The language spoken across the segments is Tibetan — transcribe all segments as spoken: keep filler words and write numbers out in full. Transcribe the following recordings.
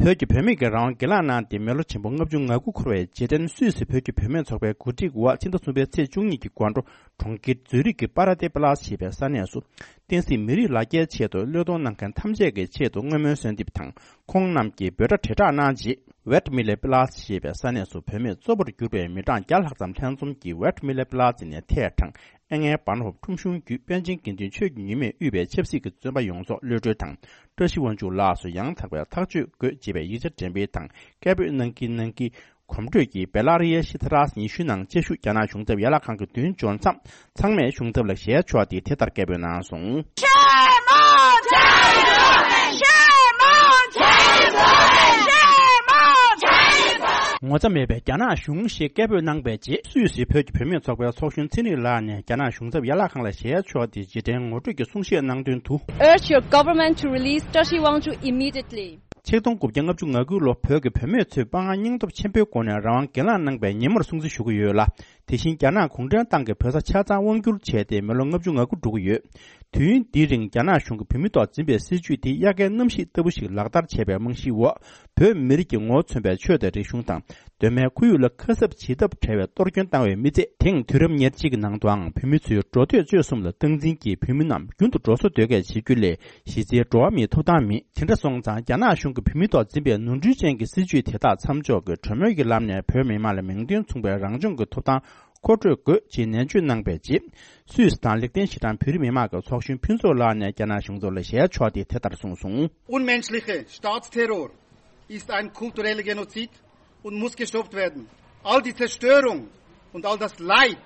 བོད་ཀྱི་བུད་མེད་ཀྱི་རང་དབང་སྒེར་ལངས་གནང་སྟེ་མི་ལོ་ཆེན་པོ་ལྔ་བཅུ་ང་དགུ་འཁོར་བའི་རྗེས་དྲན་སུད་སི་བོད་ཀྱི་བུད་མེད་ཚོགས་པའི་གོ་སྒྲིག་འོག་ཕྱི་ཟླ་གསུམ་པའི་ཚེས་བཅུ་གཉིས་ཀྱི་དགོང་དྲོ་གྲོང་ཁྱེར་ཛུ་རིག་གི་པ་ར་ཏེ་པི་ལ་སི་ཞེས་པའི་ས་གནས་སུ། བསྟན་སྲིད་མི་རིགས་ལ་རྒྱའི་ཆེད་དུ་བློས་གཏོང་གནང་མཁན་ཐམས་ཅད་ཀྱི་ཆེད་དུ་བསྔོ་སྨོན་གསོལ་འདེབས་དང་། ཁོང་རྣམས་ཀྱིས་འབོད་སྒྲ་དྲིལ་བསྒྲགས་གནང་རྗེས། ཝེད་མི་ལེ་པི་ལ་སི་ཞེས་པའི་ས་གནས་སུ་བུད་མེད་གཙོ་བོར་གྱུར་པའི་མི་གྲངས་བརྒྱ་ལྷག་ཙམ་ལྷན་འཛོམས་ཀྱིས་ཝེད་མི་ལེ་པི་ལ་སི་ནས་ཐད་དྲངས། ཨེ་ངའི་བཱན་ཧོབ་ཁྲོམ་གཞུང་བརྒྱུད་པཎ་ཆེན་དགེ་འདུན་ཆོས་ཀྱི་ཉི་མས་དབུས་པའི་ཆབ་སྲིད་ཀྱི་བཙོན་པ་ཡོངས་རྫོགས་གློད་གྲོལ་དང་། བཀྲ་ཤིས་དབང་ཕྱུག་ལགས་སུ་ཡང་དག་པའི་ཐག་གཅོད་དགོས་ཅེས་པའི་ཡིག་ཆ་འགྲེམས་སྤེལ་དང་སྐད་འབོད་གནང་གིན་གནང་གིན། གོམ་བགྲོད་ཀྱིས་བེ་ལ་རི་ཡའི་ཤི་ཐ་ར་སི་ཉི་ཤུའི་ནང་བཅའ་བཞུགས་རྒྱ་ནག་གཞུང་ཚབ་ཡན་ལག་ཁང་གི་མདུན་འབྱོར་མཚམས། ཚང་མས་གཞུང་ཚབ་ལ་ཞལ་ཕྱོགས་ཏེ་དེ་ལྟར་སྐད་འབོད་གནང་སོང་། Shame on China! Shame on China! Shame on China! ངོ་ཚ་མེད་པའི་རྒྱ་ནག་གཞུང་ཞེས་སྐད་འབོད་གནང་པའི་རྗེས། སུད་སི་བོད་ཀྱི་བུད་མེད་ཚོགས་པའི་ཚོགས་གཞོན་ཚེ་རིང་ལགས་ནས་རྒྱ་ནག་གཞུང་ཚབ་ཡན་ལག་ཁང་ལ་ཞལ་ཕྱོགས་ཏེ་རྗེས་དྲན་ངོ་སྤྲོད་ཀྱི་གསུང་བཤད་གནང་དོན་དུ། Urge your government to release Tashi Wangchuk immediately. ཆིག་སྟོང་དགུ་བརྒྱ་ལྔ་བཅུ་ང་དགུ་ལོ་བོད་ཀྱི་བུད་མེད་ཚོས་དཔའ་ངར་སྙིང་སྟོབས་ཆེན་པོའི་སྒོ་ནས་རང་དབང་སྒེར་ལངས་གནང་པའི་ཉིན་མོར་སྲུང་བརྩི་ཞུ་གི་ཡོད་ལ། དེ་བཞིན་རྒྱ་ནག་གུང་ཁྲན་ཏང་གིས་བོད་ས་ཆ་ཚང་དབང་བསྒྱུར་བྱས་ཏེ་མི་ལོ་ལྔ་བཅུ་ང་དགུ་འགྲོ་གི་ཡོད། དུས་ཡུན་འདིའི་རིང་རྒྱ་ནག་གཞུང་གིས་བོད་མིའི་ཐོག་འཛིན་པའི་སྲིད་བྱུས་དེ་དབྱར་ཁའི་གནམ་གཤིས་ལྟ་བུ་ཞིག་ལག་བསྟར་བྱས་པའི་རྨང་གཞིའི་འོག་བོད་མི་རིགས་ཀྱི་ངོ་བོ་མཚོན་པའི་ཆོས་དང་རིག་གཞུང་དང་། གདོད་མའི་ཁོར་ཡུག་ལ་ཁ་གསབ་བྱེད་ཐབས་བྲལ་བའི་གཏོར་སྐྱོན་བཏང་བའི་མི་ཚད། དེང་དུས་རབས་ཉེར་གཅིག་གི་ནང་དུའང་བོད་མི་ཚོའི་འགྲོ་སྡོད་སྤྱོད་གསུམ་ལ་སྟངས་འཛིན་གྱིས་བོད་མི་རྣམས་རྒྱུན་དུ་འགྲོ་སོང་ཟློས་གར་བྱེད་རྒྱུ་ལས་གཞི་རྩའི་འགྲོ་བ་མིའི་ཐོབ་ཐང་མེད། དེ་འདྲ་སོང་ཙང་རྒྱ་ནག་གཞུང་གིས་བོད་མིའི་ཐོག་འཛིན་པའི་ནོར་འཁྲུལ་ཅན་གྱི་སྲིད་བྱུས་དེ་དག་མཚམས་འཇོག་གིས་གྲོས་མོལ་གྱི་ལམ་ནས་བོད་མི་མང་ལ་མིང་དོན་མཚུངས་པའི་རང་སྐྱོང་གི་ཐོབ་ཐང་མཁོ་སྤྲོད་དགོས་ཅེས་ནན་བརྗོད་གནང་པའི་རྗེས། སུད་སི་དང་ལིག་ཏེན་ཤི་ཏན་བོད་རིགས་མི་མང་གི་ཚོགས་གཞོན་ཕུན་ཚོགས་ལགས་ནས་རྒྱ་ནག་གཞུང་ཚབ་ལ་ཞལ་ཕྱོགས་ཏེ་དེ་ལྟར་གསུངས་སོང་། Unmenschliche Staatsterror ist ein kultureller Genozid und muss gestoppt werden. All diese Zerstörung und all das Leid,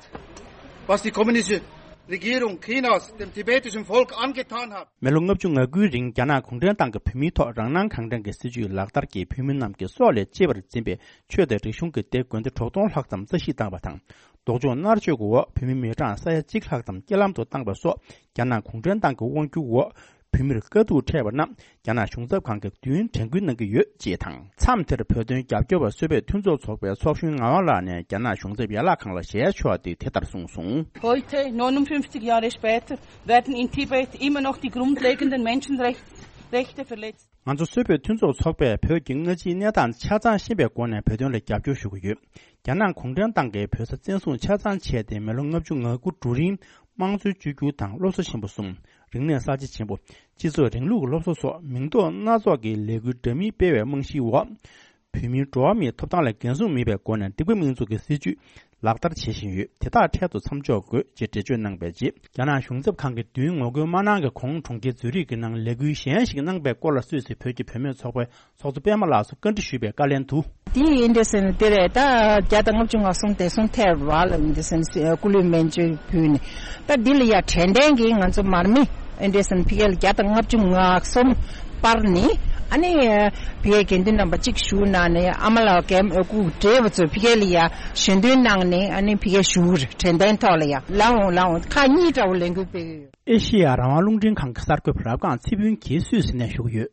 was die kommunistische Regierung Chinas dem tibetischen Volk angetan hat. མི་ལོ་ལྔ་བཅུ་ང་དགུའི་རིང་རྒྱ་ནག་གུང་ཁྲན་ཏང་གིས་བོད་མིའི་ཐོག་རང་སྣང་གང་དྲན་གྱི་སྲིད་བྱུས་ལག་བསྟར་གྱིས་བོད་མི་རྣམས་ཀྱི་སྲོག་ལས་གཅེས་པར་འཛིན་པའི་ཆོས་དང་རིག་གཞུང་གི་སྡེ་དགོན་སྡེ་དྲུག་སྟོང་ལྷག་ཙམ་རྩ་བཤིག་བཏང་བ་དང་། སྡུག་སྦྱོང་མནར་གཅོད་ཀྱི་འོག་བོད་མི་མི་གྲངས་ས་ཡ་གཅིག་ལྷག་ཙམ་རྐྱེན་ལམ་དུ་བཏང་བ་སོགས་རྒྱ་ནག་གུང་ཁྲན་ཏང་གི་དབང་སྒྱུར་འོག་བོད་མིར་དཀའ་སྡུག་འཕྲད་པ་རྣམས་རྒྱ་ནག་གཞུང་ཚབ་ཁང་གིས་དུས་ཡུན་དྲན་སྐུལ་གནང་གི་ཡོད་ཅེས་དང་། མཚམས་དེར་བོད་དོན་རྒྱབ་སྐྱོར་བ་སུད་བོད་མཐུན་ཚོགས་ཚོགས་པའི་ཚོགས་གཞོན་ངག་དབང་ལགས་ནས་རྒྱ་ནག་གཞུང་ཚབ་ཡན་ལག་ཁང་ལ་ཞལ་ཕྱོགས་ཏེ་དེ་ལྟར་གསུངས་སོང་། Heute, neunundfünfzig Jahre später, werden in Tibet immer noch die grundlegenden Menschenrechte verletzt. ང་ཚོ་སུད་བོད་མཐུན་ཚོགས་ཚོགས་པས་བོད་ཀྱི་སྔ་ཕྱིའི་གནས་སྟངས་ཆ་ཚང་ཤེས་པའི་སྒོ་ནས་བོད་དོན་ལ་རྒྱབ་སྐྱོར་ཞུ་གི་ཡོད། རྒྱ་ནག་གུང་ཁྲན་ཏང་གིས་བོད་ས་བཙན་བཟུང་ཆ་ཚང་བྱས་ཏེ་མི་ལོ་ལྔ་བཅུ་ང་དགུ་འགྲོ་རིང་། དམངས་གཙོའི་བཅོས་བསྒྱུར་དང་སློབ་གསོ་ཆེན་པོ་གསུམ། རིག་གནས་གསར་བརྗེ་ཆེན་པོ། སྤྱི་ཚོགས་རིང་ལུགས་ཀྱི་སློབ་གསོ་སོགས་མིང་འདོགས་སྣ་ཚོགས་ཀྱི་ལས་འགུལ་འདྲ་མིན་སྤེལ་བའི་རྨང་གཞིའི་འོག་བོད་མིའི་འགྲོ་བ་མིའི་ཐོབ་ཐང་ལ་འགན་སྲུང་མེད་པའི་སྒོ་ནས་འདིང་པ་མིང་འཛུགས་ཀྱི་སྲིད་བྱུས་ལག་བསྟར་བྱེད་བཞིན་ཡོད། དེ་དག་འཕྲལ་དུ་མཚམས་འཇོག་དགོས་ཅེས་འགྲེལ་བརྗོད་གནང་པའི་རྗེས། རྒྱ་ནག་གཞུང་ཚབ་ཁང་གིས་མདུན་ངོ་རྒོལ་མ་གནང་གི་གོང་གྲོང་ཁྱེར་ཛུ་རིག་གི་ནང་ལས་འགུལ་གཞན་ཞིག་གནང་པའི་སྐོར་ལ་སུད་སི་བོད་ཀྱི་བུད་མེད་ཚོགས་པའི་ཚོགས་གཙོ་པད་མ་ལགས་སུ་བཀའ་འདྲི་ཞུས་པའི་བཀའ་ལན་དུ། དེ་ཡིན་དེ་སེམས་དེ་རེད། ད་བརྒྱ་དང་ལྔ་བཅུ་ང་གསུམ་དེ་སོང་ཐལ་བ་ལ་ཡིན་དེ་སེམས་སྐུ་ལུས་སྨན་བཅོས་ཕུལ་ནས། ད་འདི་ལ་ཡ་དྲན་རྟེན་གྱི་ང་ཚོ་མར་མེ་ཨེ་འདྲས་སེམས་ཕི་གེ་ལ་བརྒྱ་དང་ལྔ་བཅུ་ང་གསུམ་སྤར་ནས། ཨ་ནི་ཕི་གེ་དགེ་འདུན་རྣམ་པ་གཅིག་བཞུགས་གནང་ནས་ཨ་མ་ལགས་སྐུ་བགྲེས་པ་ཚོ་ཕི་གེ་ལ་ཡ་ཞལ་འདོན་གནང་ནས། ཨ་ནི་ཕི་གེ་བཞུགས་རེད། དྲན་རྟེན་ཐོག་ལ་ཡ་ལའོ་ལའོ་ཁག་གཉིས་འདྲ་བོ་ལས་འགུལ་སྤེལ་གི་ཡོད། ཨེ་ཤེ་ཡ་རང་དབང་རླུང་འཕྲིན་ཁང་གི་གསར་འགོད་པ་རབ་སྒང་ཚེ་ཕུན་གྱིས་སུད་སི་ནས་ཞུ་གི་ཡོད།